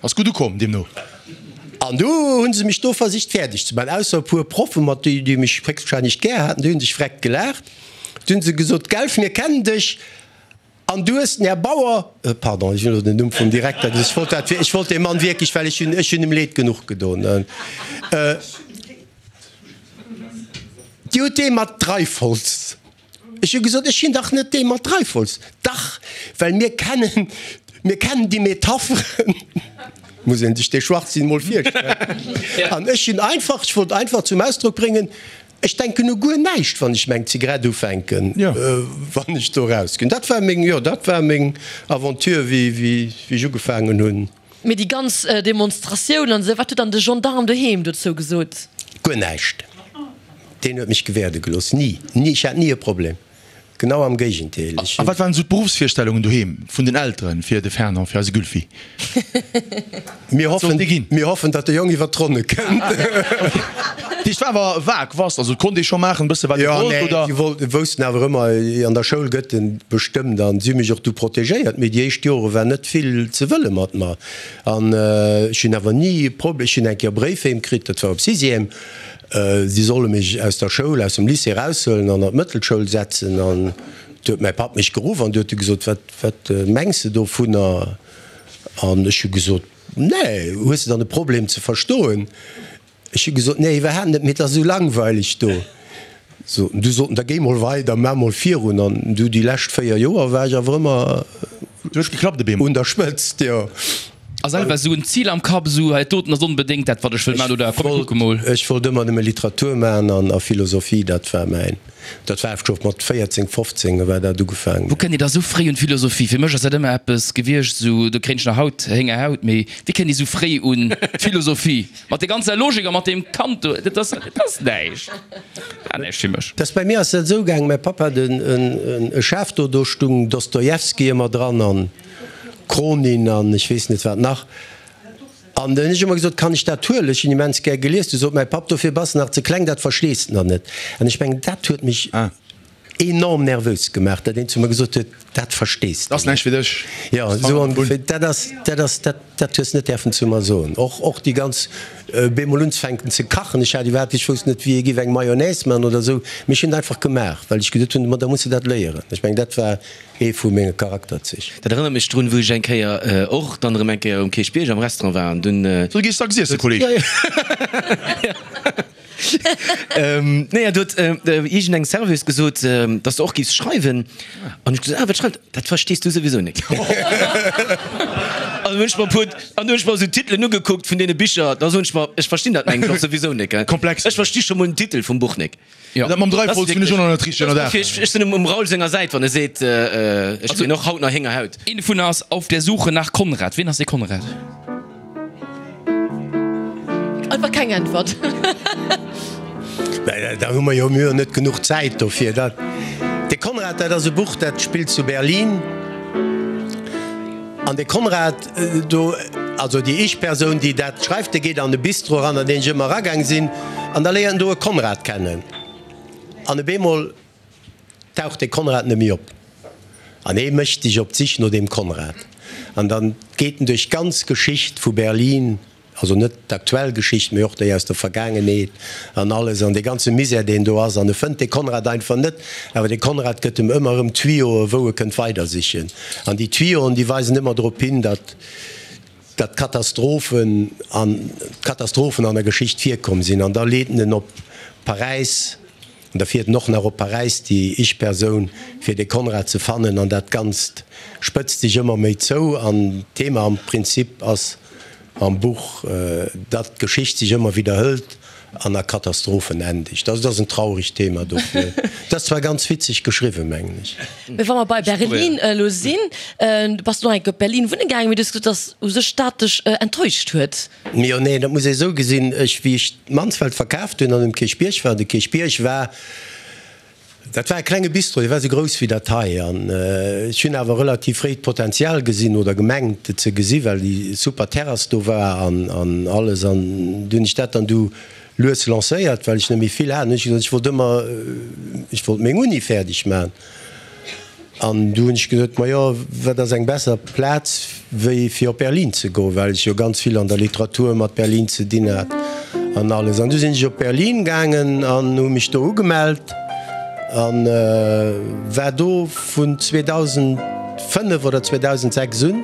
Ass gutt ukomm, deemno. An du hu se mech do versicht fäerdeg ze maachen, ausser e puer Proffen, mat déi, déi mech héchstwahrscheinlech gär haten, déi hu sech vreckt gelaacht. Du hu se gesot, Gelf, mir kennen dech an du hues den Här Bauer, pardon, ech hunn elo den Numm vum Direkter gesot, ech wollt dat, ech wollt deem Mann wierklech, well ech hunn, ech hunn em Leed genuch gedon, Dir hutt dee mat Dreifholz. Ech hu gesot, ech sinn dach net dee mat Dreifholz. Dach, well mir kennen, mir kennen déi Metapheren. Muss een sech dee Schwachsinn mol virstellen. An ech hunn einfach, ech wollt einfach zum Ausdrock bréngen, ech denken u guer näischt, wann ech meng Zigarett ufänken, wann ech do erausginn. Dat war meng, jo, dat war meng Aventure, wéi, wéi ech ugefaangen hunn. Mee déi ganz Demonstratioun an esou, wat huet dann de Gendarm doheem dozou gesot? Guer näischt. Deen huet mech gewäerde gelooss. Ni, ni, ech hat ni e Problem. Genau am Géigendeel. Ech A wat waren esou d'Beruffsvirstellungen doheem vun den Elteren fir de Fernand, fir eise Gylfi? Mir Wat hoffen, sollt dee ginn? mir hoffen, datt de Jong iwwer d'Ronne kënnt. Dat heescht, war awer vag, was? Also et konnt ee scho maachen e bësse wat ee Jo, wollt, nee, oder? si wollten, woussten awer ëmmer, an der Schoul gëtt en bestëmmt an si hu mech och du protegéiert. Mee déi éischt Jore war net vill ze wëlle mat mer. An ech hunn awer ni e Problem, ech hunn eng Kéier e Bréif heem kritt, dat war op Sixième, Si solle mech aus der Schoul, aus dem Lycée eraushuelen an an d'Mëttelschoul setzen. An du huet mäi Papp mech geruff an du huet e gesot, Wat, wat mengs de dovunner? An ech hu gesot, Nee, hues de dann e Problem ze verstoen? Ech hu gesot, Nee, iwwerhaapt net, mee et ass esou langweileg do. So, du sot en, da géi mol weider, maach mol virun. An du déi lescht véier Joer war ech awer ëmmer Du hues geklappt op eemol. un der Spëtzt, jo. A selwer esou en Zil am Kapp, esou hei doten ass onbedéngt dat wat ech wëll maachen, oder komm mir kucke mol? Ech wollt ëmmer nëmme Literatur maachen an a Philosophie, dat war mäin, dat war scho mat véierzéng, fofzéng war dat ugefaangen. Wou kënnt Dir da sou fréi un d'Philosophie? Fir mech ass dat ëmmer eppes gewiescht, esou do kréien ech nach haut Héngerhaut, mee wéi kënnt Dir sou fréi un d'Philosophie? Mat der ganzer Logik a mat deem Kant do, dat ass, dat ass näischt. Dat war näischt fir mech. Dass bei mir ass dat esou gaang, mäi Papp hat e Schaf do, do stung Dostojewski ëmmer dran an Cronin an ech weess net wat nach. An dann hunn ech ëmmer gesot, kann ech dat huelen, ech hunn immens gär gelies. Du sot mäi Papp, dofir bass de nach ze kleng, dat verstees de nach net. An ech mengen, dat huet mech enorm nervös gemaach, dat een zu mer gesot huet, dat verstees de Dat ass näischt fir dech. Jo, esou ongeféier. Dat ass, dat ass, dat, dat hues net däerfen zu mer soen. Och, och déi ganz, bemol unzefänken ze kachen, ech hat iwwerhaapt, ech wousst net, wéi ee géif eng Mayonnaise man oder esou, mee ech hunn et einfach gemaach, well ech geduet hunn, ma da muss de dat léieren. Ech mengen, dat war ee vu menge Charakterzich. Dat erënnert mech drun, wou ech eng Kéier och dann erëm eng Kéier um Kierchbierg am Restaurant war an dunn. Sou, du gees dacks iessen, Kolleg. Nee, do huet iergendeng Serveuse gesot, dass de och giffs schreiwen. An ech gesot, ah, wat schreift? Dat verstees du souwisou net. An hunn ech mer e puer, an hunn ech mer esou d'Titelen ugekuckt vun deene Bicher, da soen ech mer, ech verstinn dat mengen ech och souwisou net, gell. Komplex. Ech versti scho mol den Titel vum Buch nek. Jo. Dat mam Dreifolz hunn ech och nach net richteg ënnerdaach. Ech sinn um Raoul senger Säit, wann e seet, ech kréien och haut nach Héngerhaut. Een dovunner ass Auf der Suche nach Konrad. Wien ass dee Konrad? Einfach keng Äntwert. Da hu mer jo mir net genuch Zäit dofir. Dat De Konrad, dat ass e Buch, dat spillt zu Berlin. An de Konrad do, also déi Ich-Persoun, déi dat schreift, dee geet an e Bistro eran, an deen ech ëmmer eragaang sinn, an da léiert en do e Konrad kennen. An op eemol taucht de Konrad net méi op. An hee mécht sech op d'Sich no deem Konrad. An dann geet en duerch d'ganz Geschicht vu Berlin. Also net d'aktuell Geschicht, mee och déi aus der Vergaangenheet an alles an dee ganze Misär, deen do ass. An e fënnt de Konrad einfach net, awer de Konrad gëtt em ëmmer erëm Tuyauxen, wou e kënnt weidersichen. An déi Tuyauxen, déi weisen ëmmer drop hin, datt, datt Katastrophen an, Katastrophen an der Geschicht virkomm sinn. An da leet en en op Paräis, an da fiert en och nach op Paräis, déi Ich-Persoun, fir de Konrad ze fannen. An dat Ganzt spëtzt sech ëmmer méi zou. An d'Thema am Prinzip ass, Am Buch, datt d'Geschicht sech ëmmer widderhëlt an a Katastrophen endegt. Also dat ass en trauregt Thema dofir. Dat ass zwar ganz witzeg geschriwwen, mengen ech. Mee wa mer bei Berlin elo sinn, du bass elo eng Kéier op Berlin wunne gaangen, mee du hues gesot, dass u sech dat dech enttäuscht huet. Jo, nee, dat muss ee esou gesinn, ech, wéi ech Mansfeld verkaaft hunn an um Kierchbierg war, de Kierchbierg war, Dat war e klenge Bistro, dee war esou grouss wéi dat hei. An ech hunn awer relativ fréi d'Potenzial gesinn oder gemengt et ze gesi well déi super Terrass do war an an alles. An du hunn ech dat dann du lues lancéiert, well ech net méi vill hat. An hunn ech gesot, ech wollt ëmmer, ech wollt meng Uni fäerdeg maachen. An du hunn ech gesot, majo, wat ass eng besser Plaz wéi fir op Berlin ze goen, well ech jo ganz vill an der Literatur mat Berlin ze dinn hat an alles. An du sinn ech op Berlin gaangen an hu mech do ugemellt a war do vun zweedausendfënnef oder zweedausendsechs un.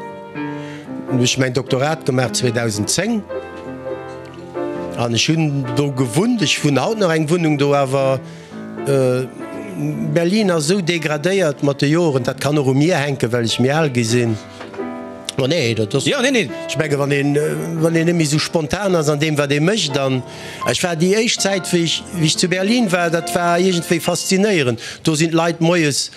Hunn ech mäin Doktorat gemaach zweedausendzéng an ech hunn do gewunnt. Ech hunn haut nach eng Wunnung do, awer Berlin ass esou degradéiert mat de Joren, dat kann och u mir hänken, well ech méi al gi sinn. Ma nee, dat ass, ech menge wann een, wann een net méi esou spontan ass an deem wat ee mécht an ech war déi éischt Zäit wéi ech, wéi ech zu Berlin war, dat war iergendwéi faszinéierend. Do sinn d'Leit moies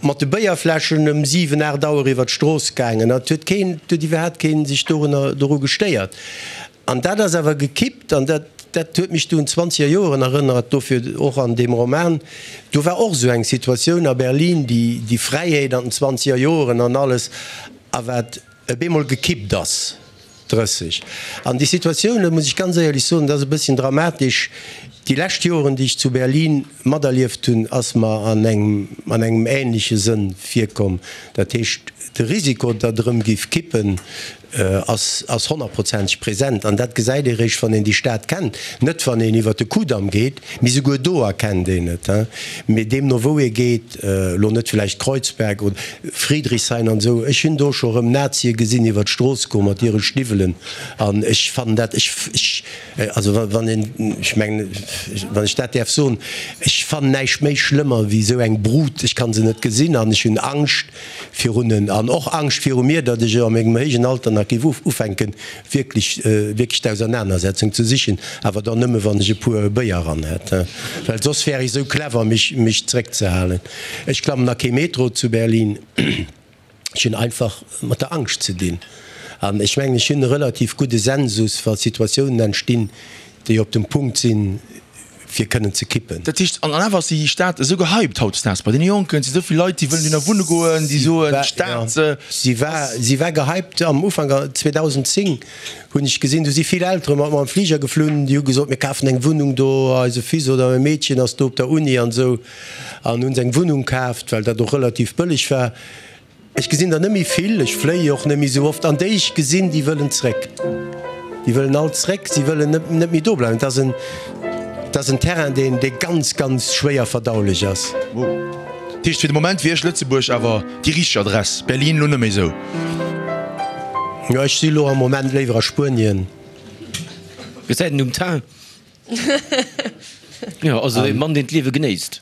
mat de Béierfläschen ëm siwen, aacht Auer iwwer d'Strooss gaangen an et huet keen, et huet iwwerhaapt keen sech dorunner, doru gestéiert. An dat ass awer gekippt, an dat, dat huet mech du un d'zwanzeger Joeren erënnert, dofir och an deem Roman, do war och esou eng Situatioun a Berlin, déi, déi Fräiheet an den zwanzeger Joeren an alles, a wat op eemol gekippt ass drësseg. An déi Situatioun, dat muss ech ganz éierlech soen, dat ass e bësschen dramatesch, déi lescht Joeren, déi ech zu Berlin materlieft hunn, ass mer an engem, an engem ähnleche Sënn virkomm. Dat heescht, de Risiko, datt erëm géif kippen, ass ass honnertprozenteg present. An dat gesäit ee réischt, wann een déi Stad kennt, net wann een iwwert de Kudamm geet, mee souguer do erkennt een et. Mee deemno wou ee geet, elo net villäicht Kreuzberg oder Friedrichshain an esou, ech hunn do scho rëm Nazie gesinn iwwert d'Strooss goen mat hire Stiwwelen an ech fannen dat, ech, ech, also wann een, ech mengen, wann ech dat däerf soen, ech fannen näischt méi schlëmmer wéi esou eng Brut, ech kann se net gesinn an ech hunn Angscht virun en an och Angscht viru mir, datt ech a mengem héijen Alter nach géif ufänken, wierklech, wierklech d'Ausernanersetzung ze sichen, awer dann nëmme wann ech e puer Béier eran hätt, well soss wär ech esou clever, mech, mech zréckzehalen. Ech klammen a kee Metro zu Berlin. Ech hunn einfach mat der Angscht ze dinn. An ech mengen, ech hunn e relativ gudde Sensus, wa Situatiounen entstinn, déi op dem Punkt sinn, fir kënnen ze kippen. Dat heescht, an awer ass déi Stad esou gehypt hautdesdaags bei deene Jonken, et si esou vill Leit, déi wëllen dohinner wunne goen, déi soen, d'Stad ass. Si war, si war gehypt am Ufank, zweedausendzéng hunn ech gesinn, do si vill Eltere mat mer am Fliger geflunn, déi hu gesot, mir kafen eng Wunnung do, eise Fils oder e Meedchen ass do op der Uni an esou, an hu se eng Wunnung kaaft, well dat och relativ bëlleg war. Ech gesinn der net méi vill, ech fléie och net méi esou oft, an déi ech gesinn, déi wëllen zréck. Déi wëllen all zréck, si wëllen net, net méi do bleiwen. Et ass en, et ass en Terrain, deen, dee ganz, ganz schwéier verdaulech ass. Dat heescht, fir de Moment wier Lëtzebuerg awer déi richteg Adress, Berlin elo net méi esou? Jo, ech si elo am Moment léiwer a Spuenien. Gesäit een um Teint. Jo, also e Mann, deen d'Liewe genéisst.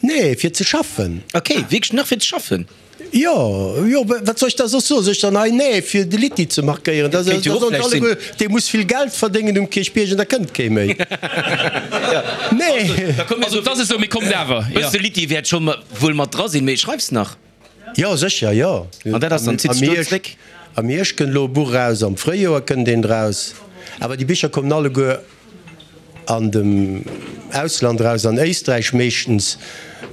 Nee, fir ze schaffen. Ok, wierklech nach fir ze schaffen? Jo, jo, wat soll ech da soss soen? Soll ech dann hei nee fir de Litty ze markéieren? Da Kéint jo och soen vläicht se sinn. alleguer, dee muss vill Geld verdéngen um Kierchbierg an da kënnt kee méi. Nee. Da komm mir Also, soen, et ass esou, mee kommt awer, jo. Bësse Litty wäert scho wuel mat dra sinn, mee schreifs nach? Jo, sécher, jo. An dat ass dann, zitt Am sech do Hierscht, zréck? am Hierscht kënnt elo e Buch eraus, am Fréijoer kënnt eent eraus. Awer déi Bicher kommen alleguer an dem Ausland eraus, an Éisträich meeschtens,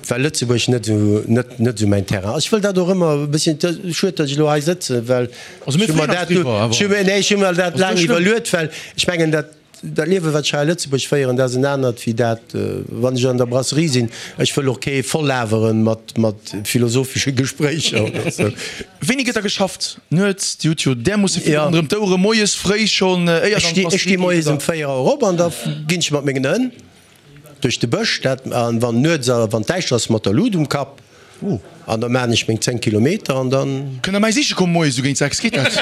well Lëtzebuerg net esou, net, net esou mäin Terrain ass. Ech wëll dat och ëmmer e bësschen, et ass schued, datt ech elo hei sëtzen, well ech hu mer dat, ech hu mir, nee, ech hu mer dat laang iwwerluet, well ech mengen, dat, dat Liewen, wat ech hei a Lëtzebuerg féieren, dat ass en anert wéi dat, wann ech an der Brasserie sinn. Ech wëll och kee vollaweren mat, mat philosophesche Gespréicher oder esou. Wéini gëtt da geschafft? Nuets? Dir hutt jo därmoosse vill ronderëm d'Ouere, moies fréi schonn, éier Ech dann sti, ech sti d'Brasserie moies geet, ëm oder? véier Auer op an da ginn ech mat mengen Hënn duerch de Bësch, dat, an wann nuets a wann däischter ass, mat der Lut um Kapp, an da maachen ech meng zéng Kilometer an dann. Kënnt der mäi siche kommen moies esou géint sechs, geet dat?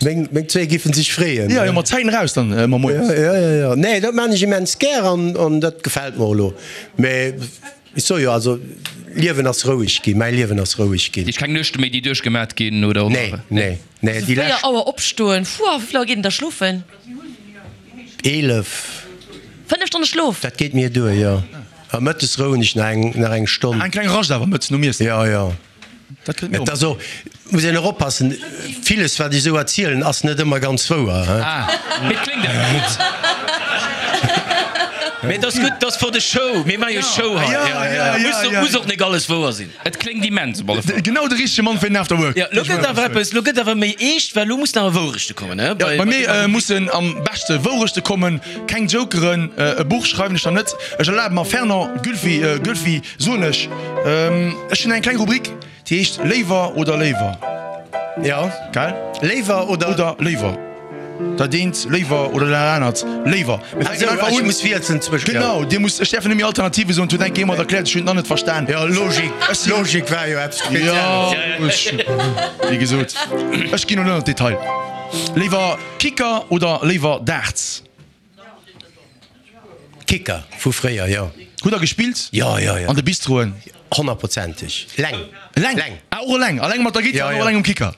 Meng, meng zwee giffen sech freeën. Jo, jo, mat Zäiten eraus dann ëmmer moies. Jo, jo, jo. Nee, dat maachen ech immens gär an, an dat gefält mer och elo. Mä Ech soe jo, also Liewen ass roueg ginn, mäi Liewen ass roueg ginn. Heescht keng Nuechte méi déi duerchgemat ginn oder? Nee, nee, nee, déi Véier lescht. Auer opstoen, fuer, wéi vill Auer geet een da schlofen? Eelef. Fënnef Stonne Schlof? Dat geet mir duer, jo. A mëttes rouen ech nach eng, nach eng Stonn. Eng kleng Rascht awer mëttes nom Iessen. Jo, jo. Dat kënnt mir Et ass och, muss een och oppassen, villes wat ech esou erzielen ass net ëmmer ganz wouer, he. Ah, mee et kléngt awer gutt. Mee et ass gutt, et ass for the show, mir maache jo Show hei. Ja, ja, ja, Muss ja. muss och nik alles wouer sinn. Et kléngt immens op alle Fall. Genau de richtege Mann fir den After Work. Jo, lo gëtt awer eppes, lo gëtt awer méi eescht, well lo mussen awer Wourechte kommen, he? Bei mir mussen am beschte Wourechte kommen, keng Jokeren. E Buch schreiwen ech dann net. Ech erlabe mer, Fernand Gulfi, Gulfi, soen ech, ech hunn eng kleng Rubrik, déi heescht Léiwer oder Léiwer. Jo, Gell? Léiwer oder. Oder Léiwer. Dat eent Léiwer oder dat anert Léiwer. Mir fänken einfach Ech un. muss wielzen zwëschen. Genau, Dir musst, ech däerfen net méi Alternative soen, et huet eng Kéier jemand erkläert, ech hunn et nach net verstan. Jo, Logik, Ech sinn. Logik war jo eppes Jo, Spezielles. ech, wéi gesot, ech ginn elo net an d'Detail. Léiwer Kicker oder léiwer Darts? Kicker vu fréier, jo. Hutt der gespillt? Jo, jo, jo. An de Bistroen? Honnertprozenteg. Leng. Eleng? Leng. Ah, och eleng? Eleng mat der Gittar Jo, an och jo. eleng um Kicker?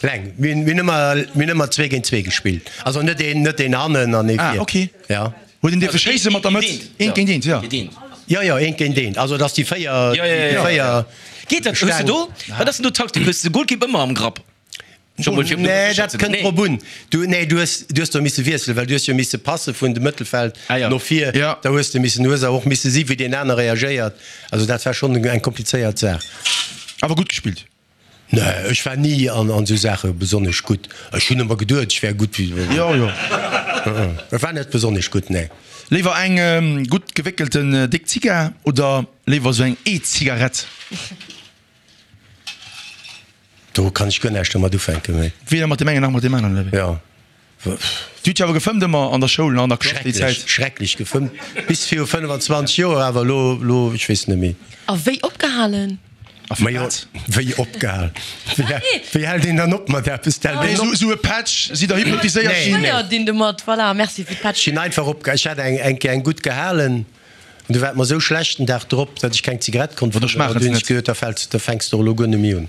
Leng. Mir hunn ëmmer, mir hunn ëmmer zwee géint zwee gespillt. Also net een, net een hannen an ee Ah, vir. ok. Ja. Huet een dierfe schéisse mat der Mëtz? Eent géint eent, jo. Jo, jo, eent géint eent. Also, dass déi véier, Ja, ja, ja, déi ja. véier Geet dat? Hues de do, wat ass denn do d'Taktik? Hues de de Golkipp ëmmer am Grapp? Nee, dat kënnt drop un. Du, nee, du hues, du hues do misse wiesselen, well du hues jo misse passe vun dem Mëttelfeld Ah, ja. no vir. Ja. Da hues de missen, du hues awer och misse si wéi deen aner reagéiert. Also dat war schonn eng komplizéiert Saach. Awer gutt gespillt? Nee, ech war ni an, an esou Saache besonnesch gutt. Ech hunn ëmmer geduet, ech wär gutt. Jo, jo. Ech war net besonnesch gutt, nee. Léiwer eng gutt gewéckelten déck Zigar oder léiwer esou eng E-Zigarett? Do kann ech guer näischt domat ufänken, méi. Weder mat deem engen nach mat deem aneren, oder wéi? Jo. Du hutt jo awer gefëmmt ëmmer an der Schoul, an der Klass déi Schrecklech, Zäit. schrecklech gefëmmt. Bis viru fënnfanzwanzeg Joer, awer elo, elo, ech weess net méi. A wéi opgehalen? A fir Majo, wat? wéi opgehal? Wéi, wéi hält een dann op mat eppes? D'hält Nee, een esou, op? esou e Patch, sidd der hypnotiséiert Nee. ginn? Fréier dinn domat, voilà, merci fir Ech d'Patch. sinn einfach opge-, ech hat eng, eng Kéier eng gutt gehalen an du war et mer esou schlecht den Dag drop, datt ech keng Zigarett konnt Oder fëmmen. schmaachen An du se hunn ech net. geduet, da fäls, da fänks de och elo guer net méi un.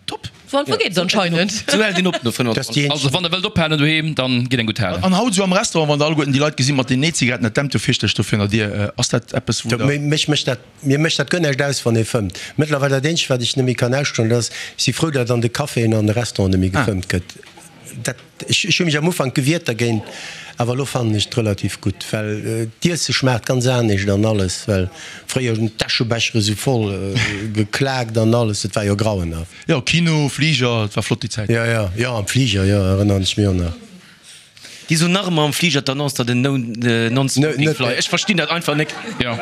Top. Sou einfach geet et anscheinend. Sou hält een op no Dass fënnfanzwanzeg. déi Also wann der wëllt ophalen doheem, dann gitt eng gutt halen. An haut esou am Restaurant, wann der alleguerten déi Leit gesi mat den E-Zigaretten, dat dämpt jo fierchterlech do virun der Dier. Ass dat eppes, wou der. Mech mécht dat, mir mécht dat guer näischt aus, wann ee fëmmt. Mëttlerweil dat eenzegt, wat ech net méi kann ausstoen, dat ass, ech si frou, datt an de Caféen an de Restauranten net méi gefëmmt gëtt. Dat, ech, ech hu mech am Ufank gewiert dergéint, awer elo fannen ech et relativ gutt, well d'Iesse schmaacht ganz anescht an alles, well fréier hunn d'Täschebechere sou voll geklaakt an alles, et war jo grauenhaft. Jo, Kino, Fliger, et war flott déi Zäit. Jo, jo, jo, am Fliger, jo, erënneren ech mech och nach. Déi soen nach ëmmer am Fliger d'Annonce, datt en Non-Smoking Flight. Ech verstinn dat einfach nek. Jo.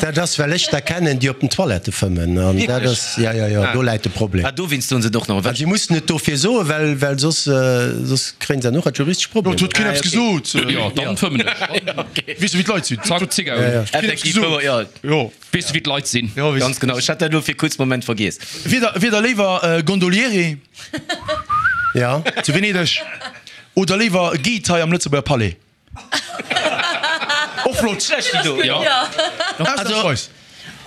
Dat ass, well ech der kennen, déi op den Toilettë fëmmen. An dat ass, jo, jo, jo, do läit de Problem. Ah, dowéinst soen se et och nach. An si mussen et dofir soen, well, well soss, soss kréien se och juristesch Jo, et Problemer. huet keen eppes gesot. Jo, dann fëmmen ech. Weess du, wéi d'Leit sinn? Zack, Zigar un. Effektiv wouer, jo. Jo. Weess du, wéi d'Leit sinn? Jo, weess. Ganz genau. Ech hat dat elo fir e kuerze Moment vergiess. Wier der, wier der léiwer Gondoliere Ja. zu Venedeg Oder léiwer Guide hei am Lëtzebuerger Palais? Och flott. Schlecht déi do. Jo. Ausnahmsweis.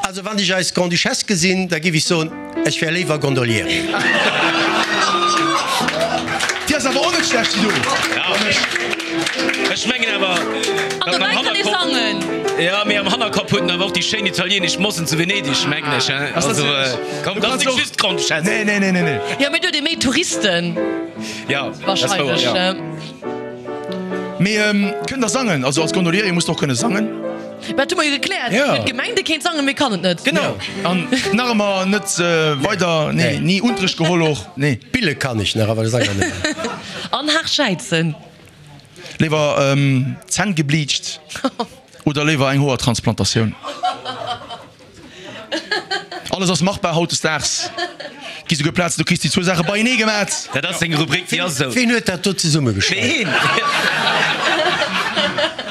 Also wann ech eis Grande-Duchesse gesinn, da giff ech soen, ech wär léiwer Gondoliere. Déi ass awer och net schlecht, déi do. Ech mengen awer, An dobäi kann ee sangen. Jo, mee am Hannerkapp huet en awer och déi schéin italienesch Mossen zu Venedeg, mengen ech, hein. Also, komm, dat ass nik just d'Grande-Duchesse. Nee, nee, nee, nee, nee. Jo, mee do huet ee méi Touristen. Ja, dat ass wouer, Wahrscheinlech. ja. Mee kënnt der sangen? Also als Gondoliere musst der och kënne sangen. Mä dat hu mer jo gekläert. Ja. Huet gemengt, e kéint sangen, mee kann et net. Genau. An nach ëmmer net weider, nee, ni Unterrecht geholl och, nee. Bille kann ech nach, awer sangen net. An haart schäizen. Léiwer Zänn gebleacht oder léiwer eng Hoertransplantatioun? Alles ass machbar hautdesdaags. Gi souguer Plazen, do kriss déi zwou Saache beienee gemat. Dat ass seng Rubrik, déi ass esou. Ween huet dat do zesummegestallt? Ween?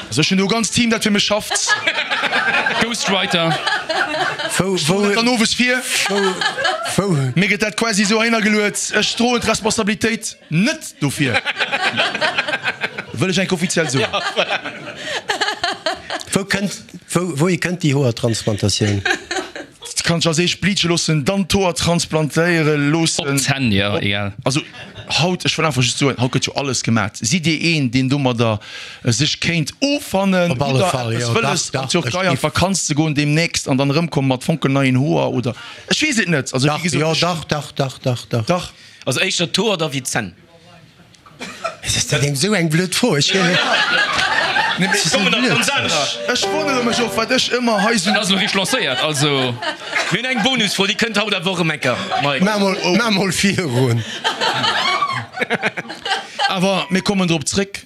Also ech hunn do e ganzt Team, dat fir mech schafft. Ghostwriter. Wou, wou, Dann owes vir. wou, wou? Mir gëtt dat quasi esou heihinner geluet. Ech droen d'Responsabilitéit net dofir. Wëll ech enk offiziell soen. Wou kënnt, wou, wouhi kënnt déi Hoertransplantatioun? Kann sech als éischt bleache loossen, dann d'Hoer transplantéiere loossen. Op d'Zänn, jo, egal. Also haut, ech wëll einfach just soen, haut gëtt jo alles gemat. Sidd Dir een, deen domadder sech kéint offannen? Op alle Hutt Der Fall, eppes jo, dach, wëlles, an dach, ech d'Türkei an giff. d'Vakanz ze goen deemnächst an dann erëmkommen mat fonkelneien Hoer oder? Ech weess et net. Also wéi Dach, gesot, jo, ech. dach, dach, dach, dach, dach. Dach. Also éischter d'Hoer da wéi d'Zänn. Ass dat eng esou eng blöd Fro? Ech Kommen nach ganz anerer. Ech wonnere mech och, wat ech ëmmer hei sou. Dat ass elo richteg lancéiert, also. Mir hunn eng Bonusfro, déi kënnt haut awer och erëm eng Kéier, Mike. Maach mol virun. Awer mir kommen drop zréck.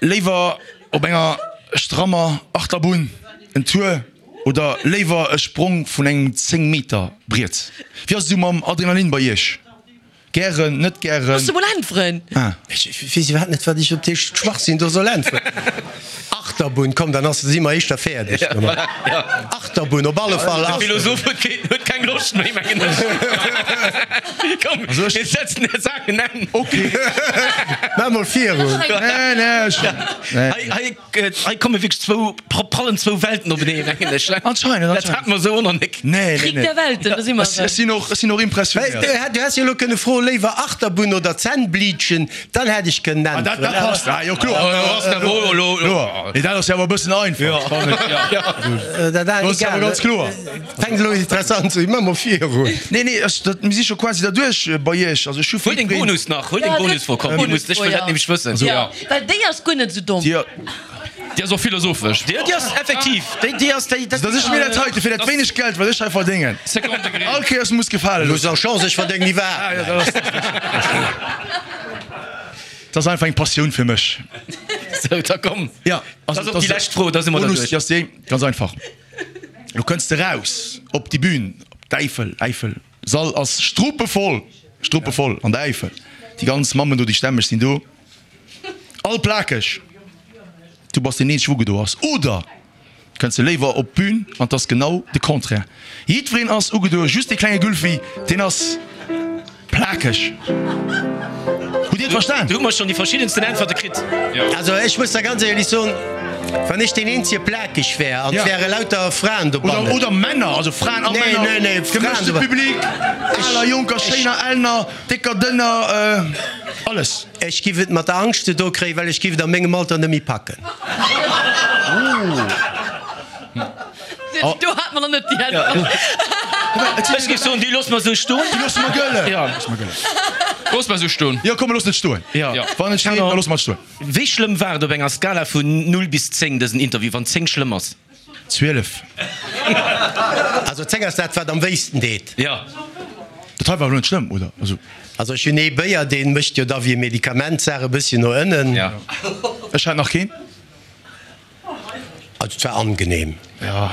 Léiwer op enger strammer Achterbunn en Tour oder léiwer e Sprong vun engem zéng Meter Briet? Wéi ass et esou mam Adrenalin bei iech? Gären, net gären? Looss se mol äntweren! Ah. Ech weess iwwerhaapt net, wat ech op dee Schwachsinn do soll äntweren. Achterbunn, komm, dann ass, si mer éischter fäerdeg domat. Achterbunn, op alle Fall De Achterbunn. Philosoph huet keen, huet keng Loscht méi, mengen ech. Komm, mir setzen der Saach en Enn. Okay. Maach mol virun. Nee, nee, ech, nee. Hei, hei, hei komme wierklech zwou, prallen zwou Welten openeen, mengen ech. Anscheinend, Dat anscheinend. hat mer esou och nach nek. Nee, nee, Krieg nee. der Welten, do si mer Ech, ech sinn och, ech sinn och impressionéiert. Du häss jo elo kënne froen, léiwer Achterbunn oder Zänn bleachen, dann hätt ech kënnen Ah, dat, dat äntweren. passt. Ah, jo, kloer. Kloer. Nee, dat ass jo awer e bëssen einfach. Dat Dat ass awer ganz kloer. Fänkt elo interessant ze, ma mol virun. Nee, nee, ech, dat, mir si scho quasi derduerch bei iech. Also ech hu Huel deng Bonus nach, huel deng Bonus vor, komm, déi muss, ech wëll dat nämlech wëssen. Ja, well déi ass guer net esou domm. Dir, Déi ass och philosophesch. Déi, déi ass effektiv, déi, déi ass, déi, dat. Dass ech mir dat heite fir dat wéineg Geld, wat ech hei verdéngen, all Kéiers muss gefale Du hues loossen. och Chance, ech verdéngen iwwerhaapt näischt. Dat ass einfach eng Passioun fir mech. Sou, da komm. Ja, Dat ass och déi lescht Fro, da si mer Bonus, derduerch. déi ass déi, ganz einfach. Lo kënns de raus op déi Bühn, op d'Äifel, Äifel, Sall ass struppevoll, struppevoll an der Äifel. Déi ganz Mammen do, déi stämmeg sinn do, all plakeg. Du bass deen eenzege wou gedo ass. Oder kënns de léiwer op d'Bühn an 't ass genau de Contraire. Jiddwereen ass ugedo, just dee klenge Gulfi, deen ass plakeg. Hutt Dir et verstan? Do hu mer schonn déi verschiddensten Äntwerte kritt. Also ech muss der ganz éierlech soen, wann ech deen eenzege plakeg wär an 't Ja. wäre lauter Fraen dobannen. Oder, oder Männer, also Fraen a Nee, Männer, nee, nee, Fraen gemëschte dobannen. Public, aler, jonker, schéiner, elner, décker, dënner, alles. Ech giff et mat der Angscht ze do kréien, well ech giff et a mengem Alter net méi packen. Do hat mer nach net déi Äntwert. Ech géif soen, déi loosse mer esou stoen. Déi loosse mer gëllen. Ja. Loosse mer gëllen. Loosse mer esou stoen. Jo, komm, mer loossen et stoen. Ja. Wann et steet, da loosse mer et stoen. Wéi schlëmm war et op enger Skala vun null bis zéng, dësen Interview, wann zéng schlëmm ass? Zwielef. Also zéng ass dat, wat am wéisten deet. Ja. Dat hei war elo net schlëmm, oder? Also. Also ech hunn ee Béier, dee mécht jo da wéi e Medikament d'Saach e bësschen no ënnen. Ja. Ech hat nach keen. Also et war angenehm. Ja.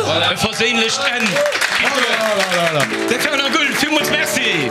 Voilà, e verséinlecht Enn. De Fernand Gull, villmools Merci.